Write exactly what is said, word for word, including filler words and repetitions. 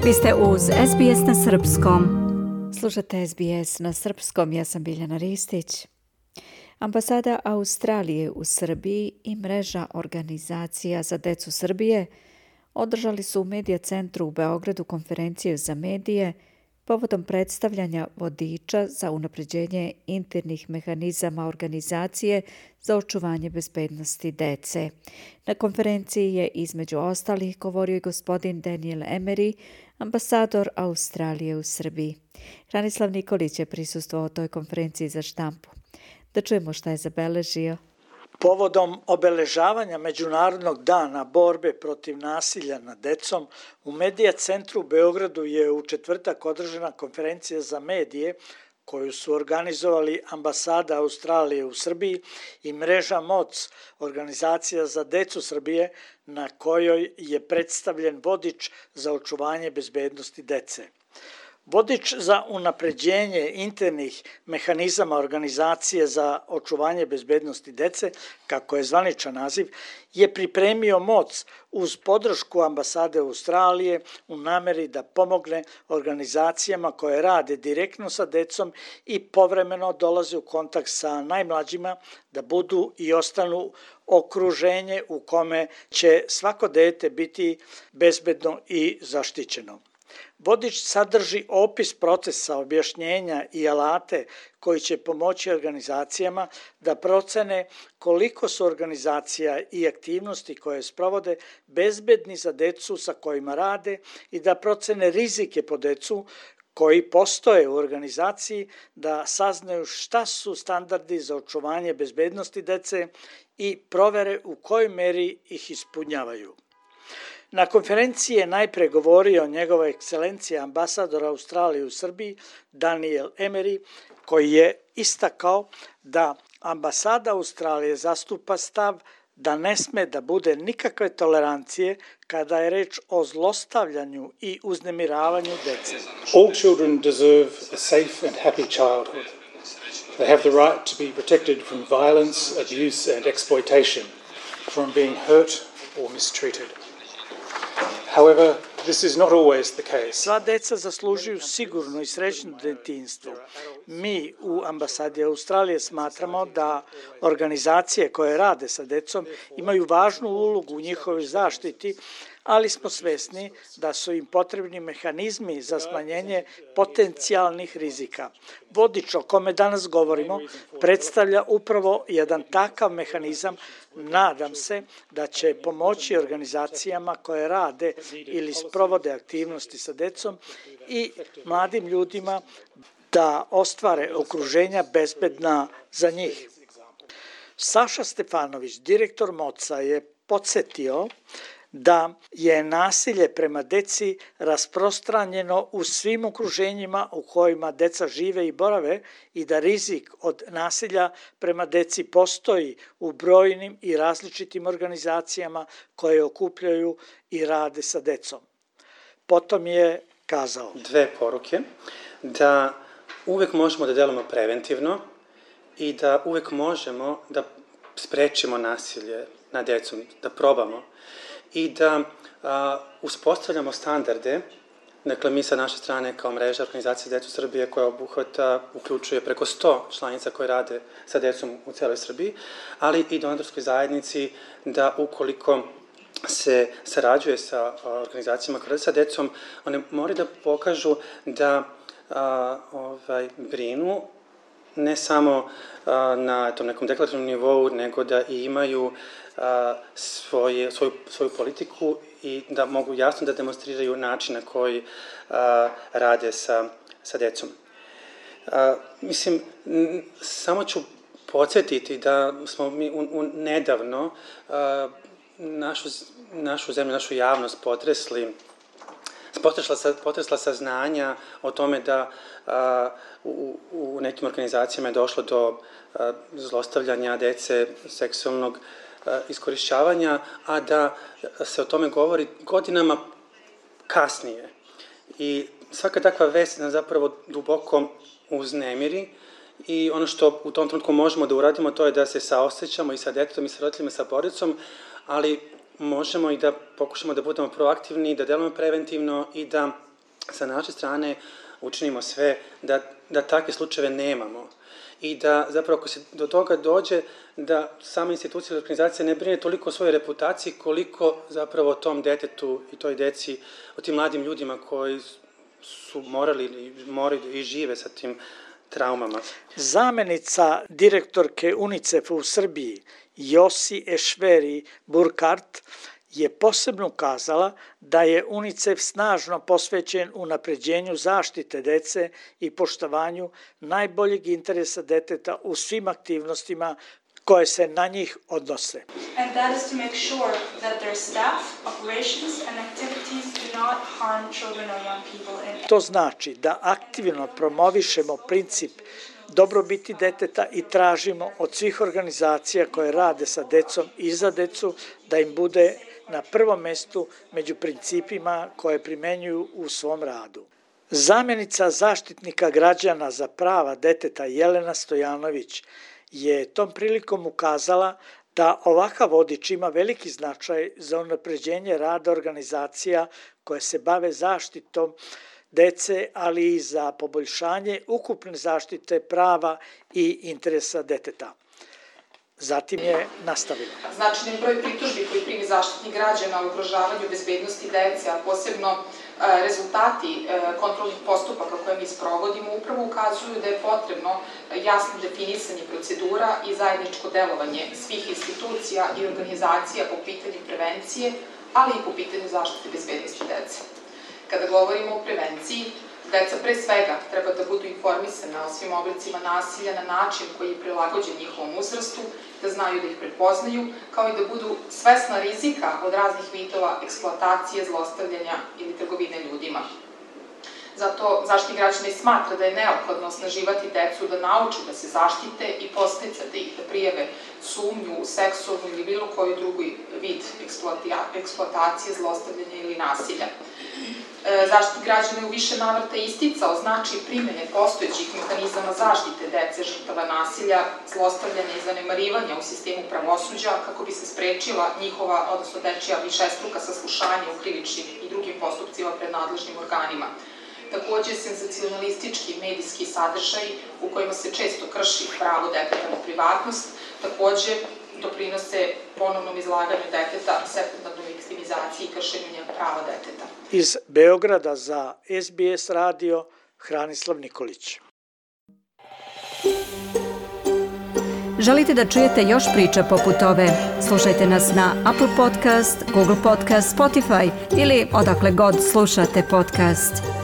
Vi ste uz S B S na srpskom. Slušate S B S na srpskom, ja sam Biljana Ristić. Ambasada Australije u Srbiji i mreža organizacija za decu Srbije održali su u Medija centru u Beogradu konferenciju za medije povodom predstavljanja vodiča za unapređenje internih mehanizama organizacije za očuvanje bezbednosti dece. Na konferenciji je između ostalih govorio i gospodin Daniel Emery, ambasador Australije u Srbiji. Hranislav Nikolić je prisustvovao toj konferenciji za štampu. Da čujemo šta je zabeležio. Povodom obeležavanja Međunarodnog dana borbe protiv nasilja nad decom, u Medija centru u Beogradu je u četvrtak održana konferencija za medije koju su organizovali Ambasada Australije u Srbiji i mreža M O C, organizacija za decu Srbije, na kojoj je predstavljen vodič za očuvanje bezbednosti dece. Vodič za unapređenje internih mehanizama organizacije za očuvanje bezbednosti dece, kako je zvaničan naziv, je pripremio M O C uz podršku Ambasade Australije u nameri da pomogne organizacijama koje rade direktno sa decom i povremeno dolaze u kontakt sa najmlađima da budu i ostanu okruženje u kome će svako dete biti bezbedno i zaštićeno. Vodič sadrži opis procesa, objašnjenja i alate koji će pomoći organizacijama da procene koliko su organizacija i aktivnosti koje sprovode bezbedni za decu sa kojima rade i da procene rizike po decu koji postoje u organizaciji, da saznaju šta su standardi za očuvanje bezbednosti dece i provere u kojoj meri ih ispunjavaju. Na konferenciji je najpre govorio njegova ekscelencija ambasador Australije u Srbiji Daniel Emery, koji je istakao da ambasada Australije zastupa stav da ne sme da bude nikakve tolerancije kada je reč o zlostavljanju i uznemiravanju dece. All children deserve a safe and happy childhood. They have the right to be protected from violence, abuse and exploitation, from being hurt or mistreated. However, this is not always the case. Sva deca zaslužuju sigurno i srećno detinjstvo. Mi u Ambasadi Australije smatramo da organizacije koje rade sa decom imaju važnu ulogu u njihovoj zaštiti, ali smo svesni da su im potrebni mehanizmi za smanjenje potencijalnih rizika. Vodič o kome danas govorimo predstavlja upravo jedan takav mehanizam. Nadam se da će pomoći organizacijama koje rade ili sprovode aktivnosti sa decom i mladim ljudima da ostvare okruženja bezbedna za njih. Saša Stefanović, direktor M O C-a, je podsjetio da je nasilje prema deci rasprostranjeno u svim okruženjima u kojima deca žive i borave i da rizik od nasilja prema deci postoji u brojnim i različitim organizacijama koje okupljaju i rade sa decom. Potom je kazao dve poruke, da uvek možemo da delamo preventivno i da uvek možemo da sprečimo nasilje nad decom, da probamo i da a, uspostavljamo standarde. Dakle, mi sa naše strane kao mreža organizacije za decu Srbije koja obuhvata, uključuje preko sto članica koje rade sa decom u celoj Srbiji, ali i donatorskoj zajednici da ukoliko se sarađuje sa organizacijama koje rade sa decom, one moraju da pokažu da a, ovaj, brinu ne samo a, na tom nekom deklarativnom nivou, nego da i imaju a, svoje, svoju, svoju politiku i da mogu jasno da demonstriraju način na koji a, rade sa, sa decom. A, mislim, n- samo ću podsjetiti da smo mi u, u nedavno a, našu, našu zemlju, našu javnost potresli Potresla, potresla saznanja o tome da a, u, u nekim organizacijama je došlo do a, zlostavljanja dece, seksualnog a, iskorišćavanja, a da se o tome govori godinama kasnije. I svaka takva vest nas zapravo duboko uznemiri i ono što u tom trenutku možemo da uradimo to je da se saosećamo i sa detetom i sa roditeljima i sa porodicom, ali možemo i da pokušamo da budemo proaktivni, da delujemo preventivno i da sa naše strane učinimo sve da, da takve slučajeve nemamo i da zapravo ako se do toga dođe da sama institucija ili organizacija ne brine toliko o svojoj reputaciji koliko zapravo o tom detetu i toj deci, o tim mladim ljudima koji su morali, moraju i žive sa tim traumama. Zamenica direktorke UNICEF-a u Srbiji, Josi Ešveri Burkart, je posebno ukazala da je UNICEF snažno posvećen unapređenju zaštite dece i poštovanju najboljeg interesa deteta u svim aktivnostima koje se na njih odnose. And that is to make sure that their staff, operations and activities do not harm children or young people in. To znači da aktivno promovišemo princip dobrobiti deteta i tražimo od svih organizacija koje rade sa decom i za decu da im bude na prvom mestu među principima koje primenjuju u svom radu. Zamjenica zaštitnika građana za prava deteta Jelena Stojanović je tom prilikom ukazala da ovakav vodič ima veliki značaj za unapređenje rada organizacija koje se bave zaštitom dece, ali i za poboljšanje ukupne zaštite prava i interesa deteta. Zatim je nastavila. Značajan broj pritužbi koji primi Zaštitnik građana o ugrožavanju bezbednosti dece, a posebno rezultati kontrolnih postupaka koje mi sprovodimo upravo ukazuju da je potrebno jasno definisanje procedura i zajedničko delovanje svih institucija i organizacija po pitanju prevencije, ali i po pitanju zaštite bezbednosti dece. Kada govorimo o prevenciji, deca pre svega treba da budu informisana o svim oblicima nasilja na način koji je prilagođen njihovom uzrastu, da znaju da ih prepoznaju, kao i da budu svesna rizika od raznih vidova eksploatacije, zlostavljanja ili trgovine ljudima. Zato Zaštitnik građana i smatra da je neophodno osnaživati decu da nauče da se zaštite i podsticati ih da prijave sumnju u seksualnu ili bilo koju drugu vid eksploatacije, zlostavljanja ili nasilja. Zaštitnik građana je u više navrata isticao značaj primene postojećih mehanizama zaštite dece žrtava nasilja, zlostavljanja i zanemarivanja u sistemu pravosuđa kako bi se sprečila njihova, odnosno dečija višestruka saslušanja u krivičnim i drugim postupcima pred nadležnim organima. Takođe, senzacionalistički medijski sadržaj u kojima se često krši pravo deteta na privatnost, takođe doprinose ponovnom izlaganju deteta, sekundarnoj viktimizaciji i kršenju prava deteta. Iz Beograda za S B S radio, Hranislav Nikolić. Želite da čujete još priča poput ove? Slušajte nas na Apple Podcast, Google Podcast, Spotify ili odakle god slušate podcast.